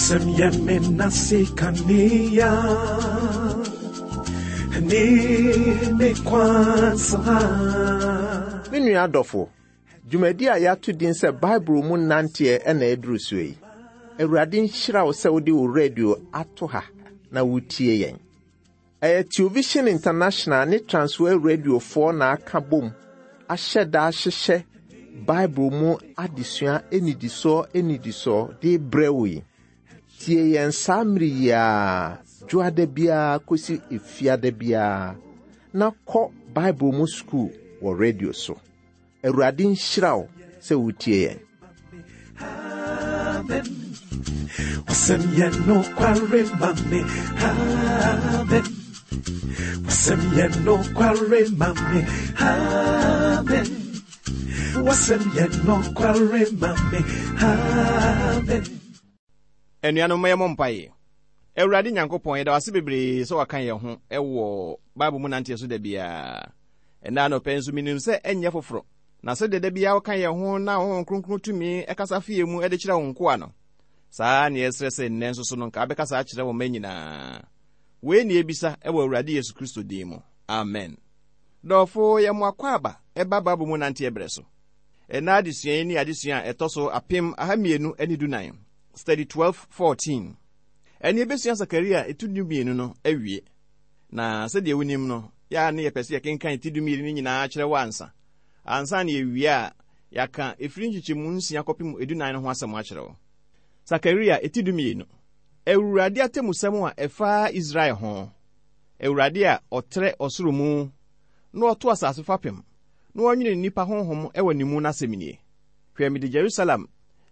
Wasɛm yɛ me nase kanea ne me kwan so ha. Me nua adɔfo, dwumadi a yɛato din sɛ Bible mu nanteɛ na ɛduru so yi. Awurade nhyira wo sɛ wode wo radio ato ha na wotie yɛn. Ɛyɛ Television International ne Transworld Radiofoɔ na aka bom ahyɛ da ahyehyɛ Bible mu adesua nnidisoɔ nnidisoɔ de brɛ wo yi. Tie yɛn saa mmere yi ara, dwoada biara kɔsi efiada biara, na kɔ Bible mu sukuu wɔ radio so. Awurade nhyira wo sɛ wotie yɛn. Amen. Wasɛm yɛ nokware ma me. Amen. Wasɛm yɛ nokware ma me. Amen. Wasɛm yɛ nokware ma me. Amen. Anuanom, ma yɛmmɔ mpaeɛ. Awurade Nyankopɔn, yɛda wo ase bebree sɛ waka yɛn ho wɔ Bible mu nanteɛ so da biara. Ɛnnɛ anɔpa yi nso, menim sɛ ɛnyɛ foforɔ. Na sɛdeɛ da biara woka yɛn ho na Honhom Kronkron tumi kasa fa yɛn mu de kyerɛ wo nkoa no, saa ara na yɛsrɛ sɛ nnɛ nso so no nka wobɛkasa akyerɛ wo mma nyinaa. Wei na yɛbisa wɔ Awurade Yesu Kristo din mu. Amen. Dɔfo, yɛ mo akwaaba ɛba Bible mu nanteɛ berɛ so. Ɛnnɛ adesua yi ne adesua a ɛtɔ so 1214, Study 1214. Ɛnne yɛbɛsua Sakaria ti 12 no awie. Na sɛdeɛ wonim no, yɛ a ne yɛpɛ sɛ yɛkenkan ti 12 no nyinaa kyerɛ wo ansa. Ansa na yɛwie a, yɛaka ɛfiri nkyekyɛmu nsia kɔpem 14 no ho asɛm akyerɛ wo. Sakaria ti 12. Awurade atemmusɛm a ɛfa Israel ho. Awurade a ɔtrɛ ɔsoro mu na ɔto asase fapem na ɔnwene nnipa honhom wɔ ne mu no asɛm nie, Hwɛ, mede Jerusalem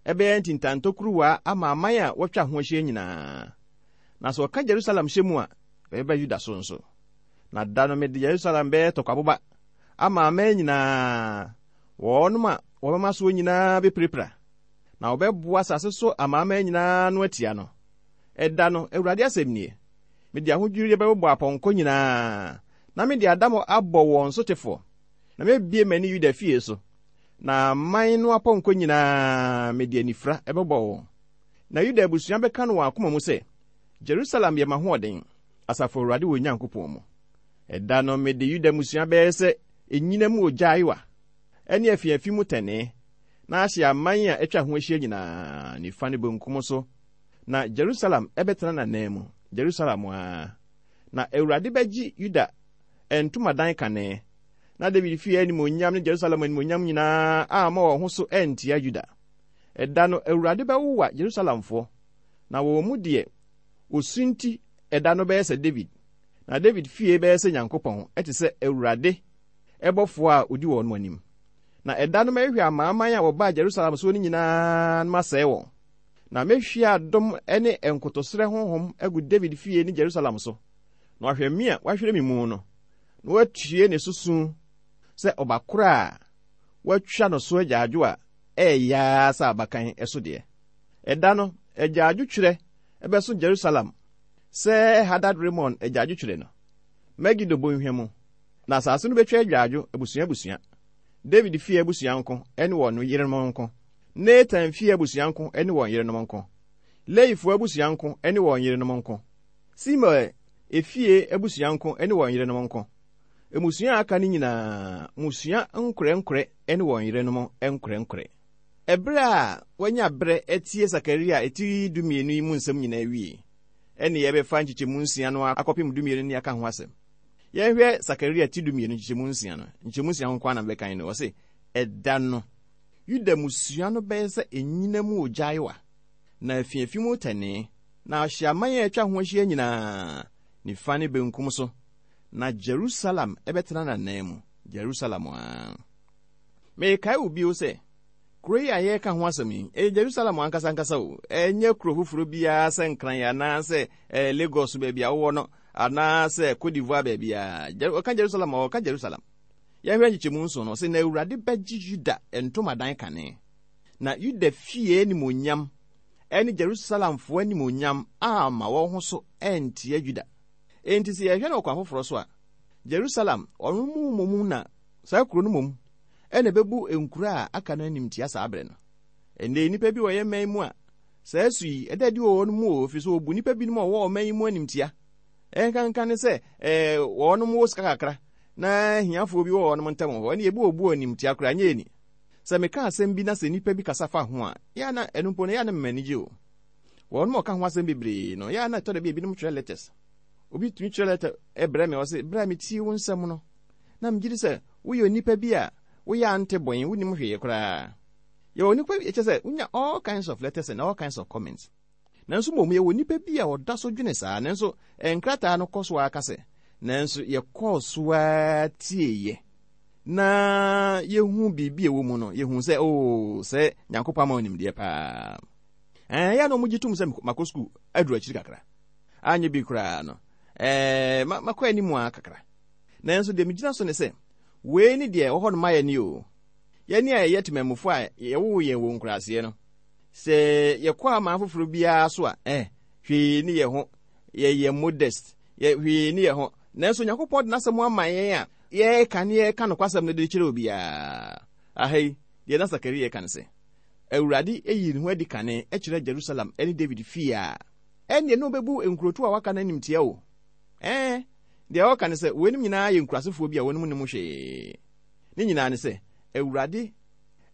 bɛyɛ ntintantokuruwa ama aman a wɔatwa ho ahyia nyinaa. Na sɛ wɔka Jerusalem hyɛ mu a, ɛbɛba Yuda so nso. Na da no mede Yerusalem bɛyɛ tɔkwaboba ama aman nyinaa, wɔnom a wɔbɛma soɔ nyinaa bɛpirapira, na wɔbɛboa asase so amanaman nyinaa ano atia no. Ɛda no, Awurade asɛm nie, mede ahodwirideɛ bɛbobɔ apɔnkɔ nyinaa, na mede adammɔ abɔ wɔn sotefoɔ, na mɛbue m'ani Yuda fie so, na aman no apɔnkɔ nyinaa mede anifira bɛbɔ wɔn. Na Yuda abusua bɛka no wɔn akoma mu sɛ, Jerusalem yɛ m'ahoɔden, asafo Awurade wɔn Nyankopɔn mu. Ɛda no mede Yuda mmusua bɛyɛ sɛ nnyina mu ogya ayowa, ne afiafi mu tɛnee, na ahye aman a atwa ho ahyia nyinaa, nifa ne benkum so, na Jerusalem bɛtena n'ananmu, Jerusalem ara. Na Awurade bɛgye Yuda ntomadan kane, na Dawid fie animuonyam ne Jerusalem animuonyam nyinaa amma wɔn ho so antia Yuda. Ɛda no Awurade bɛwowa Yerusalemfoɔ, na wɔn mu deɛ osunti ɛda no bɛyɛ sɛ Dawid, na Dawid fie bɛyɛ sɛ Nyankopɔn, te sɛ Awurade bɔfoɔ a ɔdi wɔn anim. Na ɛda no mɛhwehwɛ amanaman a wɔbaa Jerusalem soɔ no nyinaa na masɛe wɔn. Na mɛhwie adom ne nkotosrɛ honhom agu Dawid fie ne Jerusalem so, na wahwɛ me a wahwere me mu no, na watue ne so su sɛ ɔbakoro a wɔatwa no so agyaadwo a ɛyɛ ara sɛ abakan so deɛ. Ɛda no, agyaadwotwerɛ bɛso Jerusalem sɛ Hadad-Rimon agyaadwotwerɛ no, Megido bɔnhwa mu, na asase no bɛtwa agyaadwo abusua abusua, Dawid fie abusua nko ne wɔn yerenom nko, Natan fie abusua nko ne wɔn yerenom nko, Lewifoɔ abusua nko ne wɔn yerenom nko, Simei efie abusua nko ne wɔn yerenom nko, mmusua a aka no nyinaa mmusua nkorɛnkorɛ ne wɔn yerenom nkorɛnkorɛ. Ɛberɛ a wɔanya berɛ atie Sakaria ti dumienu yi mu nsɛm nyinaa awie, ɛnne yɛbɛfa nkyekyɛmu nsia no akɔpem dumienu ne aka ho asɛm. Yɛnhwɛ Sakaria ti dumienu nkyekyɛmu nsia no. Nkyekyɛmu nsia ho nko ara na mebɛkan no. Ɔse, Ɛda no, Yuda mmusua no bɛyɛ sɛ nnyina mu ogya ayowa, na afiafi mu tɛnee, na ahye aman a atwa ho ahyia nyinaa, nifa ne benkum so, na Jerusalem bɛtena n'ananmu, Jerusalem ara. Merekae wo bio sɛ, kuro yi a yɛreka ho asɛm yi, ɛyɛ Jerusalem ankasa ankasa o, ɛnyɛ kuro foforɔ biara sɛ Nkran anaasɛ eh, Lagos baabi a wowɔ no, anaasɛ Cote d'Ivoire baabi a. Ɔka Jerusalem a, ɔka Jerusalem. Yɛhwɛ nkyekyɛmu nson no, ɔse, na Awurade bɛgye Yuda ntomadan kane, na Yuda fie animuonyam ne Jerusalemfoɔ animuonyam amma wɔn ho so antia Yuda. Enti sɛ yɛhwɛ no ɔkwan foforɔ so a, Jerusalem, ɔno mu mmom na saa kuro no mmom na ɛbɛbu nkuro a aka no animtia saa berɛ no. Ɛnnɛ nnipa bi wɔ yɛn man mu a, Saa su yi, ɛda adi wɔ wɔn mu o, ɛfiri sɛ wɔbu nnipa binom a wɔwɔ ɔman yi mu animtia. Ɛnkanka ne sɛ ɛɛ wɔnom wɔ sika kakra na ahiafoɔ bi wɔ wɔnom ntam wɔ hɔ, ɛne ebi wɔ bu animtia koraa, nyɛ ani. Sɛ meka asɛm bi na sɛ nnipa bi kasa fa ho a, yɛ a na ɛno mpo no, yɛ a na mema ani gye o. Wɔnom a wɔka ho asɛm bebree no, yɛ a na ɛtɔ da bi a ebinom twerɛ letters. Obi tumi twerɛ lɛtɛ brɛ me, ɔse, berɛ a metie wo nsɛm no, na megye di sɛ woyɛ onipa bi a woyɛ ante bɔn, wonnim hwee koraa. Yɛwɔ onipa bi, kyerɛ sɛ wonya all kinds of letters and all kinds of comments. Nanso mmom yɛwɔ onipa bi a ɔda so dwene saa, nanso nkrataa no kɔ so ara ka sɛ, nanso yɛkɔɔ so ara tieeɛ na yɛhu biribi a ɛwɔ mu no, yɛhu sɛ, oo, sɛ Nyankopɔn ama wo nimdeɛ paa. Ɛɛ, yɛ na wɔgye tom sɛ makɔ sukuu aduru akyiri kakra. Anyɛ bi koraa no, ɛɛ, makɔ anim ara kakra. Nanso deɛ megyina so ne sɛ, wei ne deɛ ɛwɔ hɔ no ma yɛn o. Yɛn a yɛyɛ temamufo a yɛwoo yɛn wɔ nkuraaseɛ no, sɛ yɛkɔ aman foforɔ biara so a, eh, hwee ne yɛn ho, yɛyɛ modest, yɛ, hwee ne yɛn ho. Nanso Onyankopɔn de n'asɛm ama yɛn a yɛreka ne yɛreka nokwasɛm no de kyerɛ obiara. Aha yi, deɛ na Sakaria reka ne sɛ, Awurade yii ne ho adi kane kyerɛɛ Jerusalem ne Dawid fie a, ɛnneɛ na ɔbɛbu nkurotoɔ a wɔaka no animtia o. Ɛɛ, deɛ ɔreka ne sɛ, weinom nyinaa yɛ nkurasefoɔ bi a wɔnom nnim hwee. Ne nyinaa ne sɛ, Awurade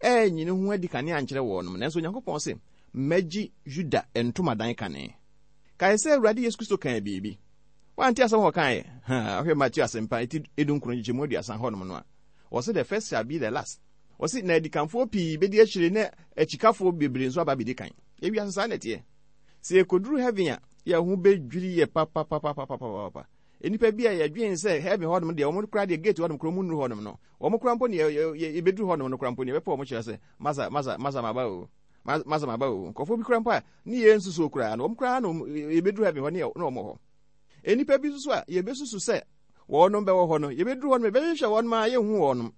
anyi ne ho adi kane ankyerɛ wɔnom, nanso Onyankopɔn se, Mɛgye Yuda ntomadan kane. Kae sɛ Awurade Yesu Kristo kaa biribi. Woante asɛm a ɔkaeɛ? Ha, wohwɛ Mateo Asɛmpa eti edunkron nkyekyɛmu aduasa hɔnom no a, ɔse, The first shall be the last. Ɔse, na adikanfoɔ pii bɛdi akyire na akyikafoɔ bebree nso aba abɛdi kan. Ewiase saa na ɛteɛ. Sɛ yɛkɔduru heaven a, yɛn ho bɛdwiri yɛ papapapapapapa. Nnipa bi a yɛdwen sɛ heaven hɔnom deɛ, wɔn koraa deɛ gate hɔnom koraa wɔn nnuru hɔnom no, wɔn koraa mpo ne yɛbɛduru hɔnom no koraa mpo ne yɛbɛpɛ wɔn kyerɛ sɛ, masa, masa, masa maba o, masa maba o. Nkurɔfoɔ bi koraa mpo a ne yɛn nsusuo koraa no, wɔn koraa na yɛbɛduru heaven hɔ ne wɔn wɔ hɔ. Nnipa bi nso so a yɛbɛsusu sɛ wɔnom bɛwɔ hɔ no, yɛbɛduru hɔ no, yɛbɛhwehwɛ wɔnom a yɛnhu wɔnom.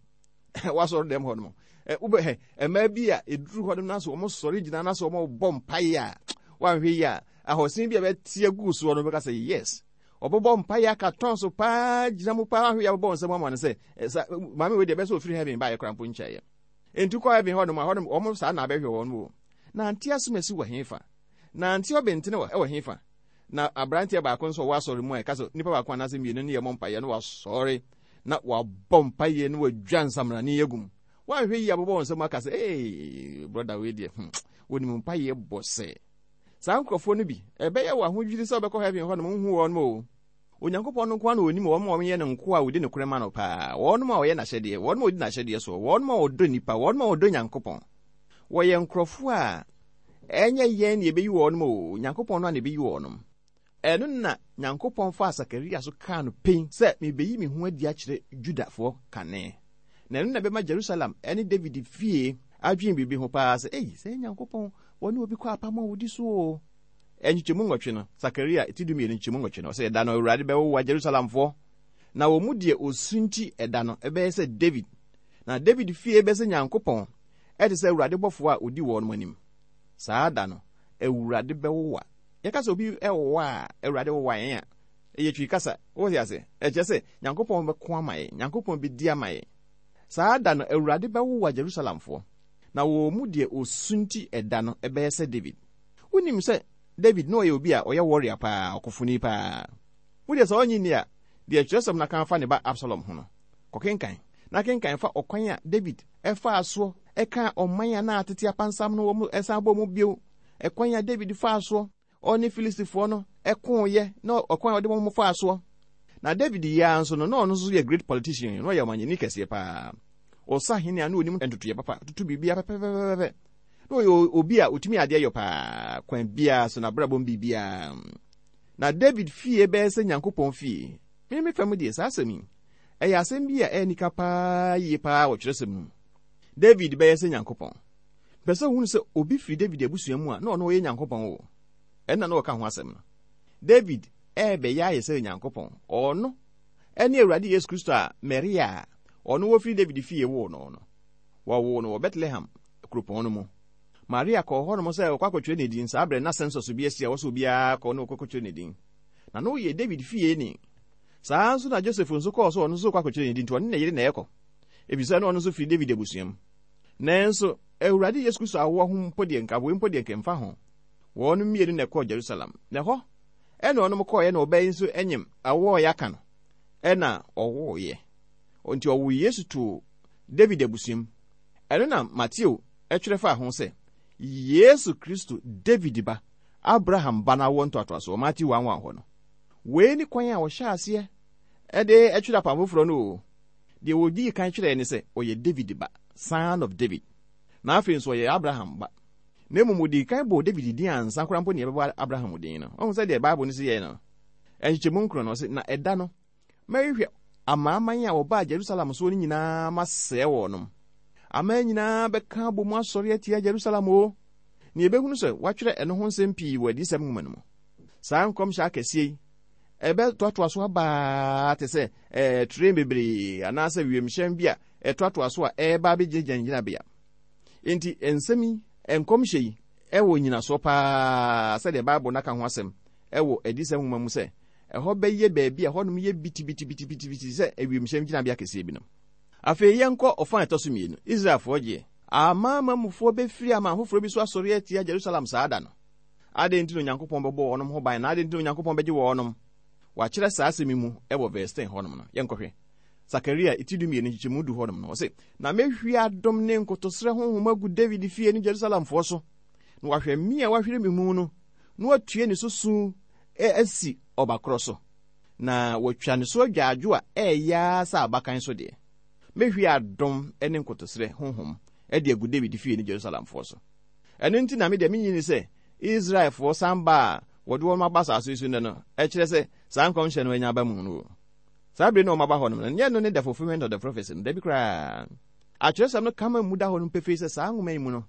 Wasɔre dɛm hɔ nom. Wobɛhɛ mmaa bi a ɛduru hɔ nom na so wɔn sɔre gyina na so wɔn bɔ mpaeɛ a, wɔanhwɛ yi a, ahɔsen bi a bɛte agu soɔ no bɛka sɛ yes. Ɔbɛbɔ mpaeɛ aka tɔn so paa gyina mu paa ahwɛ yi abɛbɔ nsɛm ama no sɛ sa maame wei deɛ ɛbɛsɛ ofiri heaven baayɛ koraa mpo nkyɛeɛ. Enti kɔ heaven hɔ nom a hɔ nom wɔn saa na abɛhwɛ wɔn o. Na ante asomasi wɔ hefa? Na ante ɔbɛntene wɔ ɛwɔ hefa? Na aberanteɛ baako nso ɔwɔ asɔre mu a ɛka sɛ nipa baako anaasɛ mmienu ne yɛ mɔ mpaeɛ no wasɔre na wabɔ mpaeɛ na wadwa nsamrane agu mu. Wanhwɛ yie abobɔ wɔn nsam aka sɛ ee brɔda wei deɛ hmm wɔnim mpaeɛ bɔ sɛ. Saa nkurɔfoɔ no bi, ɛbɛyɛ wɔ ahodwiri sɛ wɔbɛkɔ heaven hɔ nom nhu wɔn o. Onyankopɔn no nko ara na ɔnim wɔn a wɔyɛ ne nkoa a wɔdi nokorɛ ma no paa, wɔn a wɔyɛ n'ahyɛdeɛ, wɔn a wɔdi n'ahyɛdeɛ soɔ, wɔn a wɔdɔ nnipa, wɔn a wɔdɔ Nyankopɔn. Wɔyɛ nkurɔfoɔ a ɛnyɛ yɛn na yɛbɛyi wɔn o, Nyankopɔn no ara na ɛbɛyi wɔn. Ɛno na Nyankopɔn faa Sakaria so kaa no pen sɛ, Mebeyi me ho adi akyerɛ Yudafoɔ kane, na ɛno na ɛbɛma Jerusalem ne David fie adwene biribi ho paa sɛ, Ei, sɛɛ Nyankopɔn, wɔne obi kɔ apam a ɔdi so o. Nkyekyɛmu nwɔtwe no, Sakaria ti dumienu nkyekyɛmu nwɔtwe no, ɔsɛ, Ɛda no Awurade bɛwowa Jerusalemfoɔ, na wɔn mu deɛ ɔsunti ɛda no bɛyɛ sɛ David, na David fie bɛsɛ Nyankopɔn, ɛte sɛ Awurade bɔfoɔ a ɔdi wɔn anim. Saa da no, Awurade bɛwowa. Yɛka sɛ obi wowa a, Awurade wowa yɛn a, ɛyɛ Twi kasa. Wote ase? Ɛkyerɛ sɛ Nyankopɔn bɛko ama yɛn. Nyankopɔn bɛdi ama yɛn. Saa da no, Awurade bɛwowa Jerusalemfoɔ, na wɔn mu deɛ ɔsunti ɛda no bɛyɛ sɛ David. Wonim sɛ David na ɔyɛ obi a ɔyɛ warrior paa, ɔkofoni paa. Wo deɛ sɛ ɔnnye nni a, deɛ twerɛsɛm no aka afa ne ba Absalom ho no, kɔkenkan. Na kenkan fa ɔkwan a David faa soɔ kaa ɔman a na atete apansam no wɔn san bɔɔ mu bio Ɛkwan a David faa soɔ, ɔne Filistifoɔ no koeɛ, na ɔkwan a ɔde wɔn faa soɔ. Na David yi ara nso no, na ɔno nso yɛ great politician, na ɔyɛ ɔmanyɛni kɛseɛ paa. Ɔsahene a na ɔnim ntotoeɛ papa, toto biribiara pɛpɛpɛpɛpɛ. Na ɔyɛ obi a ɔtumi adeɛ yɔ paa, kwan biara so, n'abrabɔ mu biribiara. Na David fie bɛyɛ sɛ Nyankopɔn fie. Me me fam deɛ, saa asɛm yi, ɛyɛ asɛm bi a ɛyɛ anika paa yie paa wɔ twerɛsɛm no mu. David bɛyɛ sɛ Nyankopɔn. Mepɛ sɛ wohunu sɛ obi firi David abusua mu a na ɔno ɔyɛ Nyankopɔn o. Ɛnna na ɔka ho asɛm no. David rebɛyɛ ayɛ sɛ Nyankopɔn. Ɔno ne Awurade Yesu Kristo a Maria a ɔno wɔfiri David fie woo no no. Wɔwoo no wɔ Betlehem kuropɔn no mu. Maria kɔɔ hɔnom sɛ ɔkɔ akɔtwerɛ ne din. Saa berɛ na census bi asi a ɛwɔ sɛ obiara kɔ na ɔkɔkɔtwerɛ ne din. Na na ɔyɛ David fie ni. Saa ara nso na Joseph nso kɔɔ sɛ ɔno nso rekɔ akɔtwerɛ ne din, nti ɔne ne yere na ɛrekɔ, efisɛ na ɔno nso firi David abusua mu. Nanso, Awurade Yesu Kristo awoɔ ho mpo deɛ, nka wei mpo deɛ nka ɛmfa ho. Wɔnom mmienu na ɛkɔɔ Jerusalem. Na ɛhɔ ɛna wɔnom kɔɔeɛ na ɔbaa yi nso nyem awoɔ a yɛaka no ɛna ɔwoeɛ. Nti ɔwoo Yesu too David abusuam. Ɛno na Mateo twerɛ faa ho sɛ, Yesu Kristo, David ba, Abraham ba no awoɔ ntoatoasoɔ, Mateo 1 1 hɔ no. Wei ne kwan a wɔhyɛɛ aseɛ de twerɛ Apam Foforɔ no o. Deɛ wɔdii kan twerɛɛ ne sɛ ɔyɛ David ba, son of David. Na afei nso ɔyɛ Abraham ba. Na mmom wɔdii kan bɔɔ David din ansa koraa mpo na yɛbɛbɔ Abraham din no. Wahu sɛdeɛ Bible no si yɛe no? Nkyekyɛmu nkron no, ɔse, Na ɛda no, mɛhwehwɛ amanaman a wɔbaa Jerusalem soɔ no nyinaa masɛe wɔnom. Aman nyinaa bɛka abɔ mu asɔre atia Jerusalem o. Na yɛbɛhunu sɛ wɔatwerɛ ɛno ho nsɛm pii wɔ Adiyisɛm nwoma no mu. Saa nkɔmhyɛ akɛseɛ yi, ɛbɛtoatoa so aba ara te sɛ ɛɛ train bebree anaasɛ wiemhyɛn bi a ɛtoatoa so a ɛreba abɛgyinagyina ne gyinabea. Enti nsɛm yi, nkɔmhyɛ yi, wɔ nnyinasoɔ paa sɛdeɛ Bible no aka ho asɛm wɔ Adiyisɛm nwoma mu sɛ ɛhɔ bɛyɛ baabi a ɛhɔnom yɛ bitibitibitibiti sɛ wiemhyɛn gyinabea kɛseɛ bi no. Afei yɛnkɔ ɔfã a ɛtɔ so mmienu, Israelfoɔ gyeɛ. Amanamanmufoɔ bɛfiri aman foforɔ bi so asɔre atia Jerusalem saa da no. Adɛn nti na Onyankopɔn bɛbɔ wɔnom ho ban, na adɛn nti na Onyankopɔn bɛgye wɔnom? Wɔakyerɛ saa asɛm yi mu wɔ verse 10 hɔnom no. Yɛnkɔhwɛ. Sakaria ti 12 nkyekyɛmu du hɔnom no, ɔse, Na mɛhwie adom ne nkotosrɛ honhom agu Dawid fie ne Jerusalemfoɔ so, na wɔahwɛ me a wɔahwere me mu no, na wɔatue ne so su asi ɔba korɔ so, na wɔatwa ne so agyaadwo a ɛyɛ ara sɛ abakan so deɛ. Mɛhwie adom ne nkotosrɛ honhom de agu Dawid fie ne Jerusalemfoɔ so. Ɛno nti na me deɛ mennye nni sɛ Israelfoɔ san ba a wɔde wɔn aba asase yi so nnɛ no kyerɛ sɛ saa nkɔmhyɛ no anya aba mu no o. Saa bere no a wɔaba hɔ no, ɛnyɛ ɛno ne the fulfillment of the prophecy no, dabi koraa. Atwerɛsɛm no ka ma mu da hɔ no pefee sɛ saa nwoma yi mu no,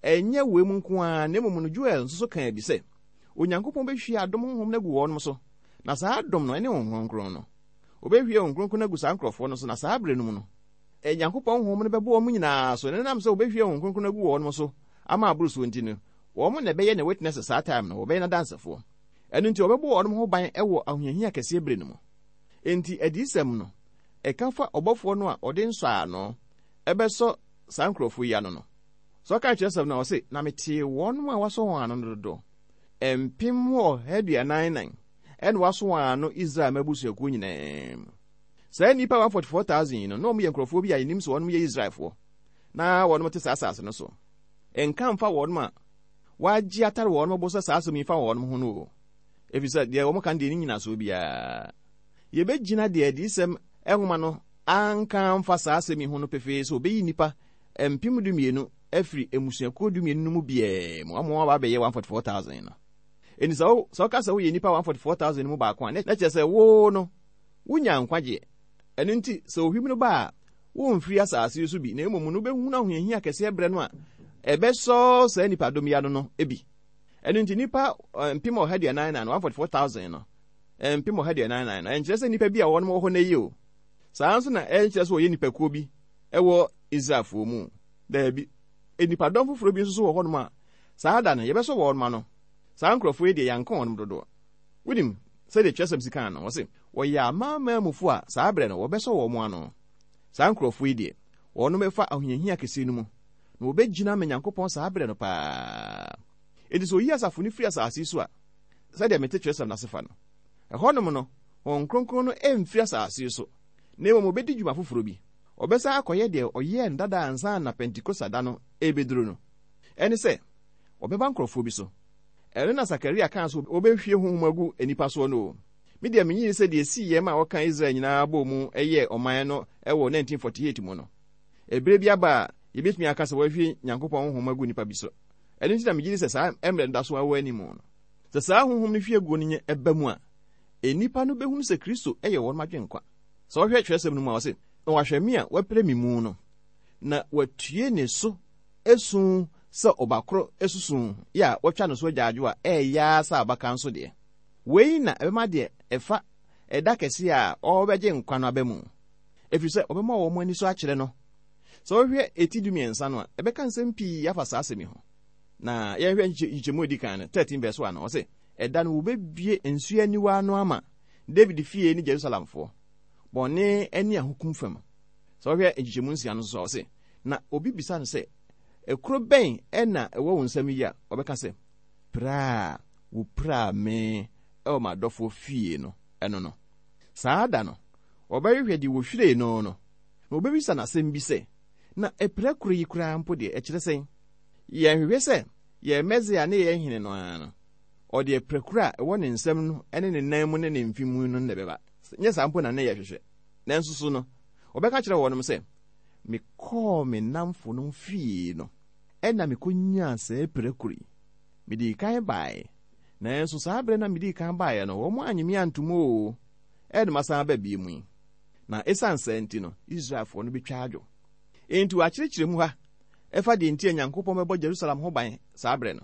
ɛnyɛ wei mu nko ara, na mmom no Joel nso so kaa bi sɛ, Onyankopɔn bɛhwie adom honhom no agu wɔnom so, na saa adom no, ɛne Honhom Kronkron no. Wɔbɛhwie Honhom Kronkron no agu saa nkurɔfoɔ no so, na saa berɛ no mu no, Nyankopɔn Honhom no bɛbɔ wɔn nyinaa so, na ɛnam sɛ wɔbɛhwie Honhom Kronkron no agu wɔnom so ama aboro soɔ nti no, wɔn na ɛbɛyɛ ne witnesses saa time no, wɔbɛyɛ n'adansefoɔ. Ɛno nti wɔbɛbɔ wɔn ho ban wɔ ahohiahia kɛseɛ berɛ no mu. Enti adiyisɛm no, ɛka fa ɔbɔfoɔ no a ɔde nsɔano bɛsɔ saa nkurɔfoɔ yi ano no. Sɛ ɔka kyerɛsɛm no a, ɔse, Na metee wɔn a wɔasɔ wɔn ano no dodoɔ, 144,000, ɛna wɔasɔ wɔn ano Israel mma abusuakuo nyinaa mu. Saa nnipa 144,000 yi no, na wɔyɛ nkurɔfoɔ bi a yɛnim sɛ wɔn yɛ Israelfoɔ, na wɔn te saa asase no so. Nka mfa wɔn a wɔagye atare wɔn bo sɛ saa asɛm yi fa wɔn ho no o, ɛfiri sɛ deɛ wɔka no deɛ ɛnni nnyinasoɔ biara. Yɛbɛgyina deɛ Adiyisɛm nwoma no anka amfa saa asɛm yi ho no pefee sɛ wɔbɛyi nnipa 12,000 afiri mmusuakuo dumienu no mu biara mu ama wɔaba abɛyɛ 144,000 no. Enti sɛ wo, sɛ woka sɛ woyɛ nnipa 144,000 no mu baako a, na kyerɛ sɛ wo no, wonya nkwagyeɛ. Ɛno nti, sɛ ohwim no ba a, woremfiri asase yi so bi, na mmom no wobɛhunu ahohiahia kɛseɛ berɛ no a ɛbɛsɔ saa nnipadɔm yi ano no bi. Ɛno nti, nnipa 144,000 no, 144,000 no, 144,000 no, ɛnkyerɛ sɛ nnipa bi a wɔn wɔ hɔ nnɛ yi o. Saa ara nso na ɛnkyerɛ sɛ wɔyɛ nnipakuo bi wɔ Israelfoɔ mu. Daabi. Nnipadɔm foforɔ bi nso so wɔ hɔnom a saa da no yɛbɛsɔ wɔn ano. Saa nkurɔfoɔ yi deɛ yɛanka wɔn dodoɔ. Wonim sɛdeɛ twerɛsɛm si kaa no? Ɔse, wɔyɛ amanaman mufo a saa berɛ no wɔbɛsɔ wɔn ano. Saa nkurɔfoɔ yi deɛ, wɔnom bɛfa ahohiahia kɛseɛ no mu, na wɔbɛgyina ama Nyankopɔn saa berɛ no paa. Enti sɛ ɔyi asafo no firi asase yi so a, sɛdeɛ mete twerɛsɛm no ase fa no, ɛhɔnom no, Honhom Kronkron no remfiri asase yi so, na mmom ɔbɛdi dwuma foforɔ bi. Ɔbɛsan akɔyɛ deɛ ɔyɛɛ no dada ansa na Pentekosta da no rebɛduru no. Ɛne sɛ, ɔbɛba nkurɔfoɔ bi so. Ɛno na Sakaria kaa sɛ wɔbɛhwie honhom agu nnipa soɔ no o. Me deɛ mennye nni sɛ deɛ ɛsiiɛ ma wɔkaa Israel nyinaa bɔɔ mu yɛɛ ɔman no wɔ 1948 mu no, ɛberɛ bi aba a yɛbɛtumi aka sɛ wɔahwie Nyankopɔn honhom agu nnipa bi so. Ɛno nti na megye di sɛ saa mmerɛ no da so ara wɔ anim no. Sɛ saa honhom no hwie guo no nya ba mu a, nnipa no bɛhunu sɛ Kristo yɛ wɔn agyenkwa. Sɛ wohwɛ twerɛsɛm no mu a, ɔse, Na wahwɛ me a wɔapira me mu no, na watue ne so esu sɛ ɔba koro susu yɛ a wɔatwa no so agyaadwo a ɛyɛ ara sɛ abakan nso deɛ. Wei na ɛbɛma deɛ ɛfa ɛda kɛseɛ a ɔrebɛgye nkwa no aba mu, ɛfiri sɛ ɔbɛma wɔn ani so akyerɛ no. Sɛ wohwɛ eti dumiɛnsa no a, ɛbɛka nsɛm pii afa saa asɛm yi ho. Na yɛnhwɛ nkyekyɛmu a ɛdi kan no, 13 verse 1 no, ɔse, Ɛda no wɔbɛbue nsuo aniwa ano ama Dawid fie ne Yerusalemfoɔ, bɔne ne ahokum fam. Sɛ wohwɛ nkyekyɛmu nsia no nso a, ɔse, Na obi bisa no sɛ, Ekuro bɛn na ɛwɔ wo nsam yi a? Ɔbɛka sɛ, Pira a wopiraa me wɔ m'adɔfoɔ fie no, ɛno no. Saa da no, wɔbɛhwehwɛ deɛ wɔhwiree no no, na wɔbɛbisa no asɛm bi sɛ, Na apirakuro yi koraa mpo deɛ, ɛkyerɛ sɛn? Yɛnhwehwɛ sɛ yɛn Mesia ne yɛn Hene no ara no, ɔde apirakuro a ɛwɔ ne nsam no ne ne nan mu ne ne mfe mu no na ɛbɛba. Nyɛ saa mpo na na yɛhwehwɛ. Nanso so no, wɔbɛka akyerɛ wɔnom sɛ, Mekɔɔ me nnamfonom fie no, ɛnna mikonyaa saa apirakuro yi. Midii kan bae, nanso saa bere na midii kan baeɛ no, wɔannye me antom oo, ɛnna masan aba bio yi. Na esiane saa nti no, Israelfoɔ no betwa adwo. Enti wɔakyerɛkyerɛ mu ha ɛfa deɛ nti a Nyankopɔn bɛbɔ Jerusalem ho ban saa bere no.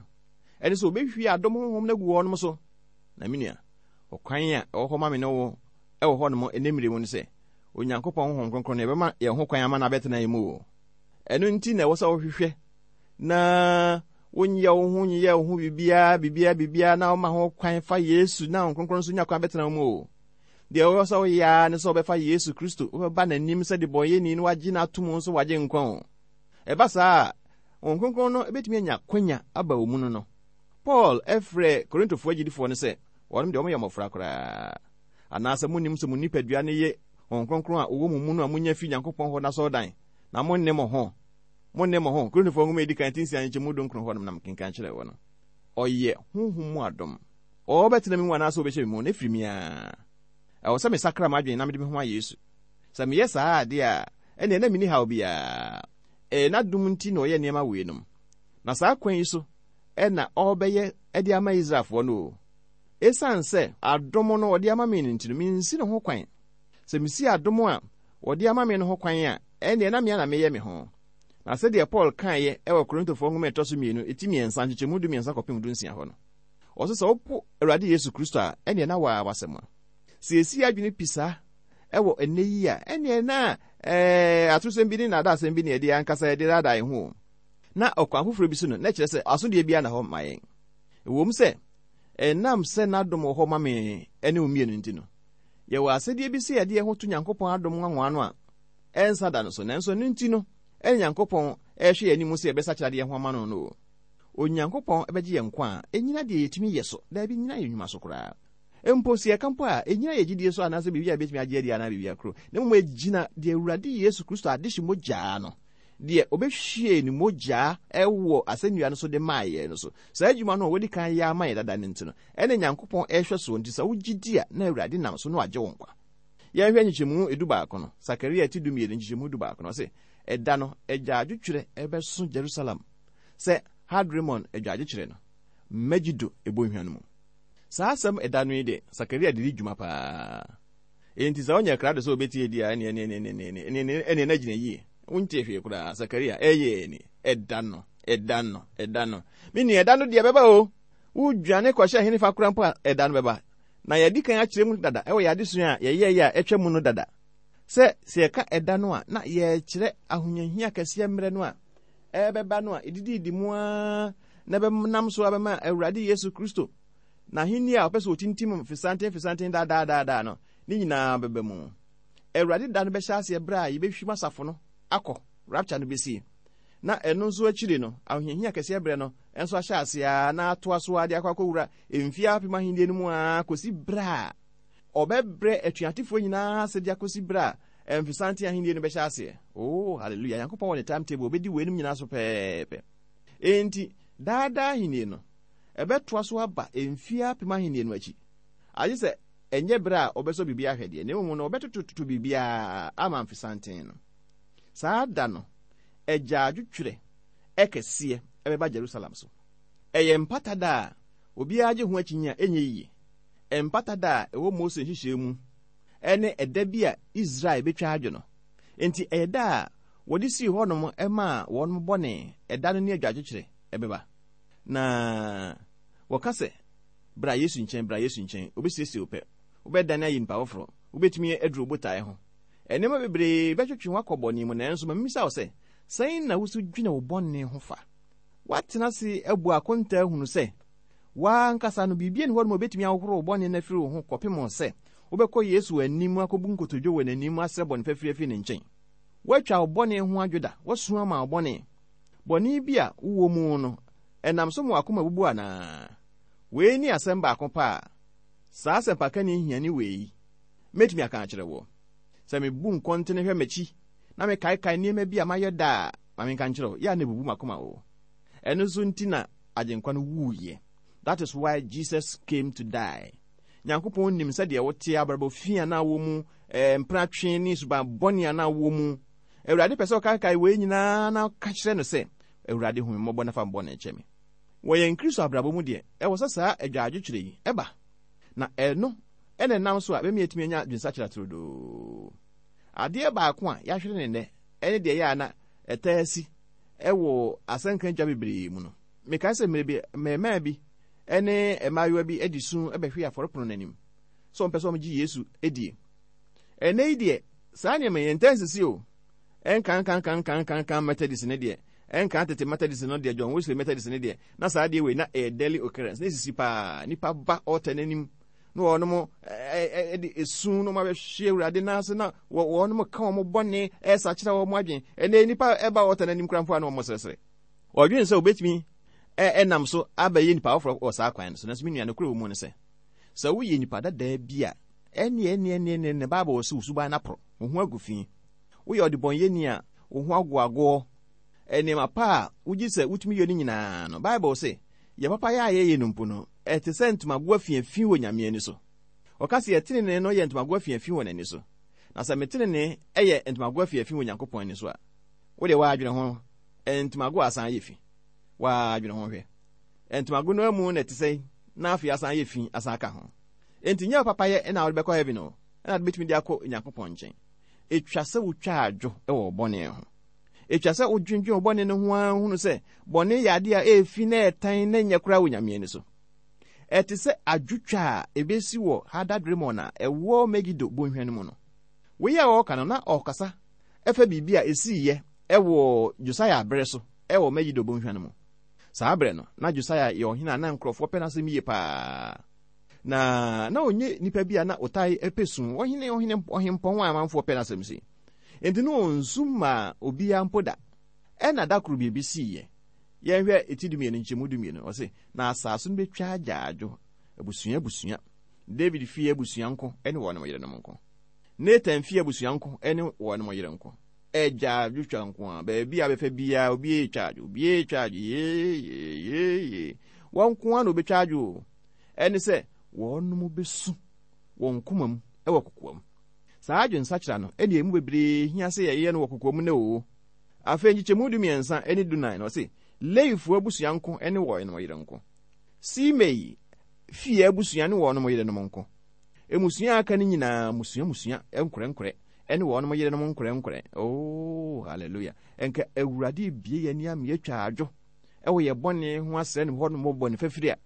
Ɛne sɛ wɔbɛhwie adom honhom no agu wɔnom so. Na me nua, ɔkwan a ɛwɔ hɔ ma me ne wo wɔ hɔnom ɛnnɛ mmere mu ne sɛ, Onyankopɔn honhom kronkron no, yɛbɛma yɛn ho kwan ama no abɛtena yɛn mu oo. Ɛno nti na ɛwɔ sɛ wohwehwɛ na wonyɛ wo ho nyeyɛ wo ho biribiara biribiara biribiara na woma ho kwan fa Yesu na Honhom Kronkron nso nya kwan bɛtena wo mu o. Deɛ ɛwɔ sɛ woyɛ ara ne sɛ wobɛfa Yesu Kristo, wobɛba n'anim sɛ debɔnyɛni na wagye no ato mu nso wagye nkwa o. Ɛba saa a, Honhom Kronkron no bɛtumi anya kwanya aba wo mu no no. Paul frɛɛ Korintofoɔ agyidifoɔ no sɛ wɔnom deɛ wɔyɛ mmɔfra koraa. Anaasɛ monnim sɛ mo nipadua no ye Honhom Kronkron a ɔwɔ mo mu no a monya fi Nyankopɔn hɔ no asɔredan, na monne mo ho? Monne mo ho. Korintofoɔ nwoma a ɛdi kan ti nsia nkyɛmu dunkron hɔ nom na mekenkan kyerɛɛ wo no. Ɔyɛ honhom mu adom. Ɔbɛtena me mu anaasɛ ɔbɛhyɛ me mu no, ɛfiri me ara. Ɛwɔ sɛ mesakra m'adwene na mede me ho ma Yesu. Sɛ meyɛ saa adeɛ a, ɛnneɛ na menni haw biara. Ɛyɛ n'adom nti na ɔyɛ nneɛma weinom. Na saa kwan yi so na ɔrebɛyɛ de ama Israelfoɔ no o. Esiane sɛ adom no ɔde ama me no nti no, mensi ne ho kwan. Sɛ mesi adom a wɔde ama me no ho kwan a, ɛnneɛ na me ara na meyɛ me ho. Na sɛdeɛ Paul kaeɛ wɔ Korintofoɔ nwoma a ɛtɔ so mmienu, eti mmiɛnsa, nkyekyɛmu dumiɛnsa kɔpem dunsia hɔ no, ɔse sɛ wopo Awurade Yesu Kristo a, ɛnneɛ na waa w'asɛm a. Sɛ yɛsi yɛn adwene pi saa wɔ ɛnnɛ yi a, ɛnneɛ na ɛɛ atorosɛm bi ne nnaadaasɛm bi na yɛde ankasa yɛde daadaa yɛn ho o. Na ɔkwan foforɔ bi so no, na ɛkyerɛ sɛ asodie biara nna hɔ ma yɛn. Ɛwom sɛ ɛnam sɛ n'adom wɔ hɔ ma me ne wo mmienu nti no, Yɛwɔ asɛdeɛ bi sɛ yɛde yɛn ho to Nyankopɔn adom nwanwa no a ɛnsa da no so, nanso ɛno nti no ɛne Nyankopɔn rehwɛ yɛn anim sɛ yɛbɛsakyera de yɛn ho ama no no o. Onyankopɔn bɛgye yɛn nkwa a, ɛnnyina deɛ yɛtumi yɛ so, daabi, ɛnnyina yɛn nnwuma so koraa. Mpo sɛ yɛka mpo a, ɛnnyina yɛn gyidie so anaasɛ biribi a yɛbɛtumi agye adi anaa biribi koro, na mmom ɛgyina deɛ Awurade Yesu Kristo adehye mogyaa no, deɛ ɔbɛhwiee ne mogyaa wɔ asɛnnua no so de maa yɛn no so. Saa adwuma no a wadi kan yɛ ama yɛn dada no nti no, ɛne Nyankopɔn rehwɛ soɔ nti sɛ wogye di a, na Awurade nam so na wagye wo nkwa. Yɛnhwɛ nkyekyɛmu edubaako no, Sakaria ti dumienu nkyekyɛmu dubaako no, ɔse, Ɛda no, agyaadwotwerɛ bɛso Jerusalem sɛ Hadrimon agyaadwokyerɛ no, Megido bɔnhwa no mu. Saa asɛm ɛda no yi de, Sakaria de di dwuma paa. Enti sɛ ɔnyɛ krado sɛ obetie di a, ɛneɛ ɛneɛ ɛneɛ ɛneɛ ɛneɛ ɛneɛ na gyina yie. Wontie hwee koraa. Sakaria, ɛyɛ ni. Ɛda no, ɛda no, ɛda no. Me nua, ɛda no deɛ ɛbɛba o. Wodwane kɔhyɛ hene fa koraa mpo a, ɛda no bɛba. Na yɛadi kan akyerɛ mu dada ɛwɔ yɛn adesua a yɛyɛeɛ a atwa mu no dada sɛ, sɛ yɛka ɛda no a, na yɛrekyerɛ ahohiahia kɛseɛ mmerɛ no a ɛrebɛba no a ɛdidiidi mu ara na ɛbɛnam so abɛma Awurade Yesu Kristo n'ahenni a ɔpɛ sɛ ɔtintim mfesanten mfesanten daa no, ne nyinaa bɛba mu. Awurade da no bɛhyɛ aseɛ berɛ a yɛbɛhwim asafo no akɔ, rapture no bɛsie. Na ɛno nso akyiri no, ahohiahia kɛseɛ berɛ no nso ahyɛ aseɛ ara na atoa so ara de akɔ akɔwura mfeɛ apem ahennie no mu ara kɔsi berɛ a ɔbɛbrɛ atuatefoɔ nyinaa ase de akɔsi berɛ a mfesanten ahennie no bɛhyɛ aseɛ. Oh, hallelujah! Nyankopɔn wɔ ne timetable, ɔbɛdi weinom nyinaa so pɛɛpɛ. Enti, daa daa ahennie no, ɛbɛtoa so aba mfeɛ apem ahennie no akyi. Agye sɛ ɛnyɛ berɛ a wɔbɛsɔ biribi ahwɛ deɛ, na mmom no wɔbɛtotototo biribiara ama mfesanten no. Saa da no, agyaadwotwerɛ kɛseɛ bɛba Jerusalem so. Ɛyɛ mpata da a obiara gye ho akyinnye a ɛnyɛ yiye. Mpata da a ɛwɔ Mose nhyehyɛe mu ne ɛda bi a Israel betwa adwo no. Enti ɛyɛ da a wɔde sii hɔnom maa wɔn bɔne, ɛda no ne adwagyekyerɛ bɛba. Na wɔka sɛ, Bra Yesu nkyɛn, bra Yesu nkyɛn, obesiesie wo pɛ. Wobɛdane ayɛ nipa foforo. Wubetumi aduru wo botae ho. Nneɛma bebree bɛtwetwe wo akɔ bɔne mu, nanso ma mimmisa wo sɛ, sɛn na wusu dwene wo bɔne ho fa? Woatena ase abu akontaa ahunu sɛ w'ankasa no, biribi nni hɔ nom a obetumi ahohoro wo bɔne no afiri wo ho kɔpem sɛ wobɛkɔ Yesu anim akobu nkotodwe wɔ n'anim asrɛ bɔne fafiri afi ne nkyɛn. Woatwa wo bɔne ho adwo da? Woasu ama wo bɔne? Bɔne bi a wowɔ mu no, Ɛnam so ma w'akoma bubu anaa? Wei ne asɛm baako pɛ a saa asɛmpakani hiani wei mɛtumi aka akyerɛ woɔ. Sɛ mebu nkɔntene hwɛ m'akyi na mekaekae nneɛma bi a mayɛ da a, ma menka nkyerɛ wo, yɛ a na ɛbubu m'akoma o. Ɛno nso nti na Agyenkwa no wuiɛ. That is why Jesus came to die. Nyankopɔn nim sɛdeɛ wote, abrabɔ fi a na wɔ mu, eh, mpenatwe ne suban bɔne a na wɔ mu. Awurade pɛ sɛ ɔkaekae wei nyinaa na ɔka kyerɛ no sɛ, Awurade hu me mmɔbɔ na fa me bɔne kyɛ me. Wɔ yɛn Kristo abrabɔ mu deɛ, ɛwɔ sɛ saa adwaadwokyerɛ yi ba, na ɛno na ɛnam so a ɛbɛma yɛatumi anya adwensakyera turodoo. Adeɛ baako a yɛahwere no nnɛ ne deɛ ɛyɛ a na ɛtaa si wɔ asɛnka adwa bebree mu no. Mekae sɛ mmerɛ bi, mmarimaa bi ne mmaayewa bi de su bɛhwee afɔrepono no anim sɛ wɔmpɛ sɛ wɔgye Yesu die. Ɛnnɛ yi deɛ, saa nneɛma yi ɛntaa nsisi o. Ɛnkankankankankankan Methodist no deɛ, ɛnkan tete Methodist no deɛ, John Wesley Methodist no deɛ, na saa adeɛ wei na ɛyɛ daily occurrence, na esisi paa. Nipa ba ɔɔta n'anim na wɔnom ɛde esu na wɔn abɛhwe Awurade nan ase na wɔnom ka wɔn bɔne ɛresakyera wɔn adwene. Ɛnɛ nipa ɛba ɔɔta n'anim koraa mpo a na wɔn srɛsrɛ. Wɔdwene sɛ wɔbɛtumi ɛnam so abɛyɛ nipa foforɔ wɔ saa kwan no so. Nanso me nua, nokorɛ wɔ mu ne sɛ, sɛ woyɛ nipa dadaa bi a, ɛnneɛ ɛnneɛ ɛnneɛ ɛnneɛ Bible wɔ sɛ wo suban no aporɔ, wo ho agu fi. Woyɛ ɔdebɔneyɛni a wo ho agoagoɔ. Nneɛma pa a wogye sɛ wotumi yɛ no nyinaa no, Bible se, yɛn papayɛ a yɛyɛ no mpo no, ɛte sɛ ntomago afiafi wɔ Nyame ani so. Ɔka se yɛn tenenee no yɛ ntomago afiafi wɔ n'ani so. Na sɛ me tenenee yɛ ntomago afiafi wɔ Nyankopɔn ani so a, wo deɛ woadwene ho, ntomago a asan ayɛ fi. Woadwene ho hwɛ. Ntomago no amu na ɛte sɛn na afei asan ayɛ fi asan aka ho. Enti nyɛ wo papayɛ na wode bɛkɔ heaven o, ɛna wode bɛtumi de akɔ Nyankopɔn nkyɛn. Etwa sɛ wotwa adwo wɔ wo bɔne ho. Etwa sɛ wodwendwen wo bɔne no ho ara hunu sɛ bɔne yɛ ade a ɛyɛ fi na ɛtan na ɛnyɛ koraa wɔ Nyame ani so. Ɛte sɛ adwotwa a ebesi wɔ Hadad-Rimon a ɛwɔ Megido bonhwa no mu no. Wei a ɔreka no, na ɔrekasa fa biribi a esiiɛ wɔ Josia bere so wɔ Megido bonhwa no mu. Saa bere no, na Josia yɛ ɔhene a na nkurɔfoɔ pɛ n'asɛm yie paa. Na na ɔnyɛ nipa bi a na ɔtaa pɛ su, ɔhene, ɔhene, ɔhempɔn a amanfoɔ pɛ n'asɛm sei. Enti na ɔnsu mmaa obiara mpo da. Ɛna da koro biribi siiɛ. Yɛnhwɛ eti dumienu nkyɛmu dumienu. Ɔse, na asase no bɛtwa agyaadwo, abusua abusua. David fie abusua nko ne wɔn yerenom nko. Nathan fie abusua nko ne wɔn yere nko. Agyaadwo twa nko a, baabi a bɛfa biara obi retwa adwo, obi retwa adwo, yee, yee, yee, yee. Wɔn nko ara na wɔbɛtwa adwo o. Ɛne sɛ, wɔnom bɛsu wɔn koma mu wɔ kokoam. Saa adwensakyera no ɛne emu bebree hia sɛ yɛyɛ no wɔ kokoam nnɛ oo. Afei nkyekyɛmu dumiɛnsa ne dunan no ɔse, Lewifoɔ abusua nko ne wɔnom yere nko. Simei fie abusua ne wɔnom yerenom nko. Mmusua a aka no nyinaa mmusua mmusua nkorɛnkorɛ ne wɔnom yerenom nkorɛnkorɛ. Oh, hallelujah. Nka Awurade ebie yɛn ani ama yɛatwa adwo wɔ yɛn bɔne ho asrɛ no hɔ nom bɔne fafiri a,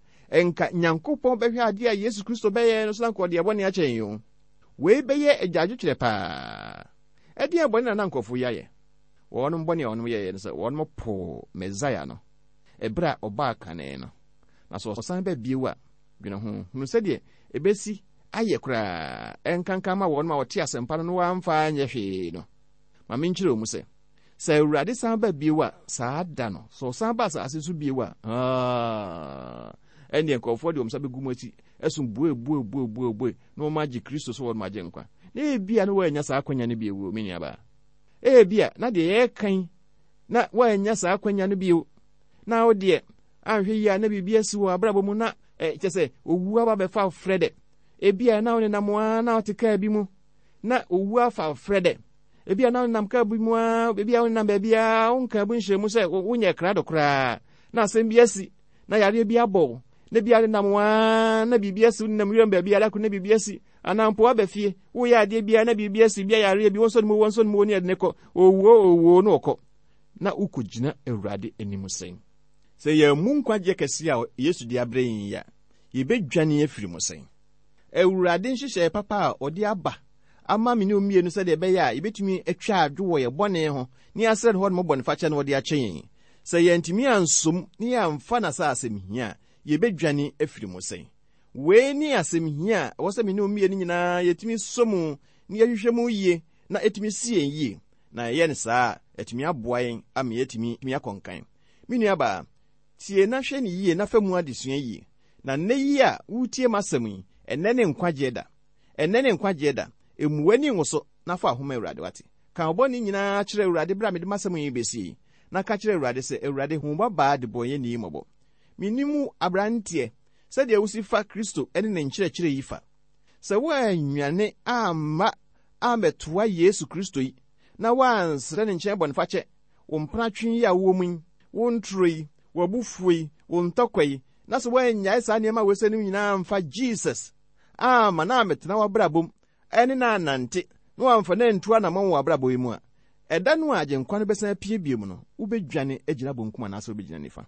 nka Nyankopɔn bɛhwɛ adeɛ a Yesu Kristo bɛyɛ no so na nka ɔde yɛn bɔne akyɛ yɛn o. Wei bɛyɛ agyaadwotwerɛ paa. Ɛdeɛn bɔne na na nkurɔfoɔ yi ayɛ? Wɔnom bɔne a wɔnom yɛeɛ ne sɛ wɔnom poo Mesaia no ɛberɛ a ɔbaa kane no. Na sɛ ɔsan ba bio a, dwene ho, hunu sɛdeɛ ɛbɛsi ayɛ koraa, ɛnkanka ma wɔnom a wɔte asɛmpa no na wɔamfa anyɛ hwee no. Ma menkyerɛ wo mu sɛ, Sɛ Awurade san ba bio a, saa da no, sɛ ɔsan ba asase so bio a, aa, ɛnneɛ nkurɔfoɔ de wɔn nsa bɛgu mu akyi, ɛso bue bue bue bue bue, na wɔn agye Kristo sɛ wɔn agye nkwa. Na ebia na wɔannya saa akwanya no bio, me nuabaa. Ebia na deɛ yɛreka yi, na wɔannya saa akwanya no bio. Na wo deɛ, anhwɛ yie a na biribi asi wɔ abrabɔ mu na kyɛ sɛ owu aba bɛfa frɛ dɛ. Ebia na wo nenam ara na wote kaa bi mu, na owu afa frɛ dɛ. Ebia na wonam kaa bi mu ara, ebia wonam baabiara, wonka bu nhyɛ mu sɛ wonyɛ krado koraa, na asɛm bi asi, na yareɛ bi abɔ wo, na ebia wonam ara na biribi asi, wonam wiram baabiara ko na biribi asi, anaa mpo woaba fie, woyɛ adeɛ biara na biribi asi, bia yareɛ bi, wɔnsɔ ne mu, wɔnsɔ ne mu, ne yɛde ne kɔ, owuo, owuo, na ɔkɔ. Na wokɔgyina Awurade anim sɛn? Sɛ yɛammu nkwagyeɛ kɛseɛ a Yesu de abrɛ yɛn yi a, yɛbɛdwane afiri mu sɛn? Awurade nhyehyɛe papa a ɔde aba ama me ne wo mmienu sɛdeɛ ɛbɛyɛ a yɛbɛtumi atwa adwo wɔ yɛn bɔne ho na yɛasrɛ ne hɔ nom bɔnefakyɛ na ɔde akyɛ yɛn. Sɛ yɛantumi ansom na yɛamfa no sɛ asɛm hia a, yɛbɛdwane afiri mu sɛn? Wei ne asɛm hia a ɛwɔ sɛ me ne wo mmienu nyinaa yɛtumi sɔ mu na yɛhwehwɛ mu yie na ɛtumi si yɛn yie. Na yɛyɛ no saa a, atumi aboa yɛn ama yɛatumi akɔ nkan. Me nuabaa, Tie na hwɛ no yie na fa mu adesua yie. Na nnɛ yi a woretie m'asɛm yi, ɛnnɛ ne nkwagyeɛ da. Ɛnnɛ ne nkwagyeɛ da. Mmu w'ani nwo so na fa wo ho ma Awurade, wate? Ka wo bɔne nyinaa kyerɛ Awurade berɛ a mede m'asɛm yi rebɛsie yi, na ka kyerɛ Awurade sɛ, Awurade, hu wo babaa debɔneyɛni yi mmɔbɔ. Mennim wo, aberanteɛ, sɛdeɛ wosi fa Kristo ne ne nkyerɛkyerɛ yi fa. Sɛ woannwane amma ammɛtoa Yesu Kristo yi, na woansrɛ ne nkyɛn bɔnefakyɛ, wo mpenatwe yi a wowɔ mu yi, wo ntoro yi, w'abufuo yi, wo ntɔkwa yi, na sɛ woannyae saa nneɛma wei sɛ no nyinaa amfa Jesus amma na ammɛtena w'abrabɔ mu ne no annante na wamfa no antu anammɔn wɔ w'abrabɔ yi mu a, ɛda no a Agyenkwa no bɛsan apue bio no, wobɛdwane agyina bonkum anaasɛ wobɛgyina nifa.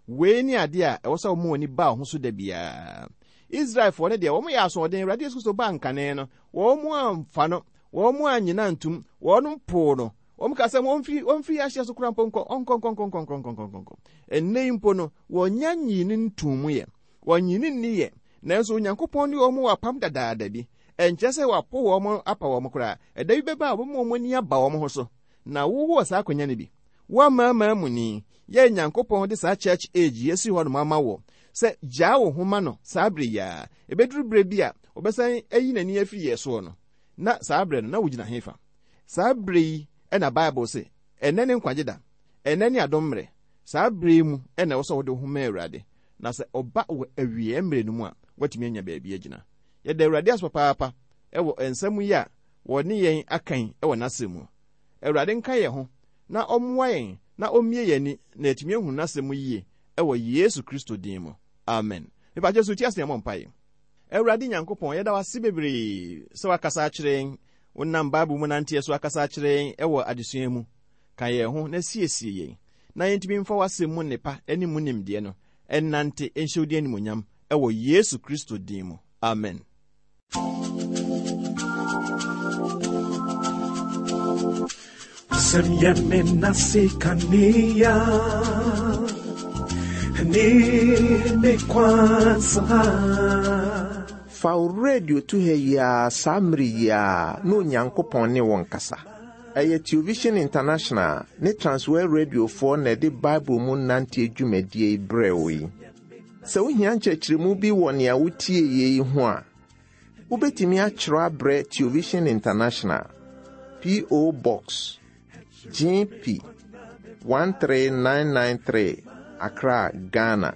Wei ne adeɛ a ɛwɔ sɛ woma w'ani ba wo ho so da biara. Israelfoɔ no deɛ, wɔn yɛ asoɔden. Awurade Yesu Kristo baa nkane no, wɔn amfa no, wɔn annye no antum, wɔn poo no. Wɔn kaa sɛ, Ɔmfiri, ɔmfiri ahyeɛ so koraa mpo nkɔ, ɔnkɔ, nkɔ, nkɔ, nkɔ, nkɔ, nkɔ, nkɔ, nkɔ. Ɛnnɛ yi mpo no, wɔnnya nyii no ntuu mu yɛ. Wɔnnye no nni yɛ. Nanso Onyankopɔn ne wɔn wɔ apam dadaada bi. Ɛnkyerɛ sɛ wapo wɔn apa wɔn koraa. Ɛda bi bɛba a wɔbɛma wɔn ani aba wɔn ho so. Na wowɔ saa akwanya no bi. Wo amanamanmuni, yɛ Nyankopɔn de saa church age yi asi hɔnom ama wo sɛ gyaa wo ho ma no saa bere yi ara. Ɛbɛduru berɛ bi a ɔbɛsan ayi n'ani afiri yɛn soɔ no, na saa berɛ no na wogyina hefa? Saa bere yi na Bible se, Ɛnnɛ ne nkwagye da, ɛnnɛ ne adom mmere. Saa bere yi mu na ɛwɔ sɛ wode wo ho ma Awurade, na sɛ ɔba wɔ awieɛ mmere no mu a, woatumi anya baabi agyina. Yɛda Awurade ase papaapa wɔ nsɛm yi a wɔne yɛn aka yi wɔ N'asɛm mu. Awurade nka yɛn ho na ɔmmoa yɛn na ɔmmue yɛn ani na yɛatumi ahunu N'asɛm mu yie wɔ Yesu Kristo din mu. Amen. Mepakyɛ so ti ase na yɛmmɔ mpaeɛ. Awurade Nyankopɔn, yɛda wo ase bebree sɛ woakasa akyerɛ yɛn. Wonam Bible mu nanteɛ so akasa akyerɛ yɛn wɔ adesua mu. Ka yɛn ho na siesie yɛn na yɛntumi mfa w'asɛm mu nnepa ne mu nimdeɛ no nnante nhyɛ wo din animuonyam wɔ Yesu Kristo din mu. Amen. Sɛm yɛ me nase kanea ne me kwan so ha. Fa wo radio to ha yi ara saa mmere yi ara na Onyankopɔn ne wo nkasa. Ɛyɛ Television International ne Transworld Radiofoɔ na ɛde Bible mu nanteɛ dwumadie yi brɛɛ wo yi. Sɛ wohia nkyerɛkyerɛmu bi wɔ nea wotieeɛ yi ho a, wobɛtumi atwerɛ abrɛ Television International, P.O. Box, GP 13993, Accra, Ghana.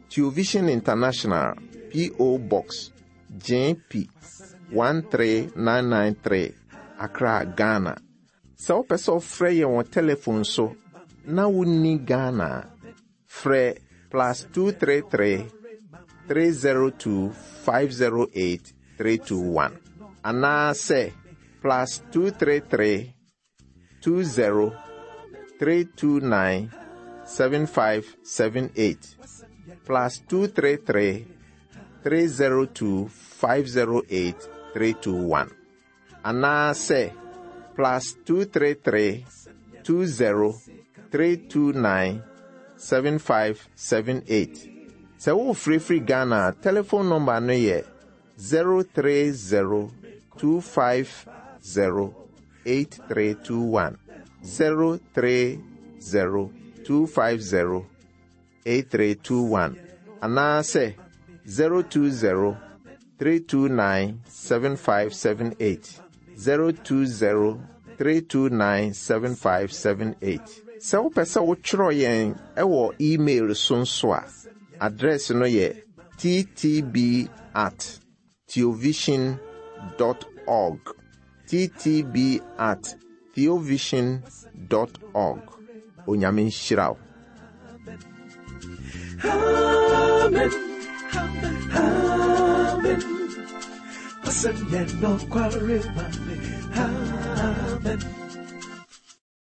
Television International, P.O. Box, GP 13993, Accra, Ghana. Sɛ wopɛ sɛ wofrɛ yɛn wɔ telefon so na wonni Ghana a, frɛ plus 233 302 508 321 anaasɛ plus 233 20 329 7578 plus 233 302 508 321 anaasɛ plus 233 20 329 7578. Sɛ worefrɛfiri Ghana a, telefon nɔmba no yɛ 030 250 8321. 030 250 8321 anaasɛ 020 329 7578 020 329 7578. Sɛ wopɛ sɛ wotwerɛ yɛn wɔ email so nso a, address no yɛ ttb at theovision dot org ttb at theovision dot org Onyame nhyira wo. Amen. Amen. Amen.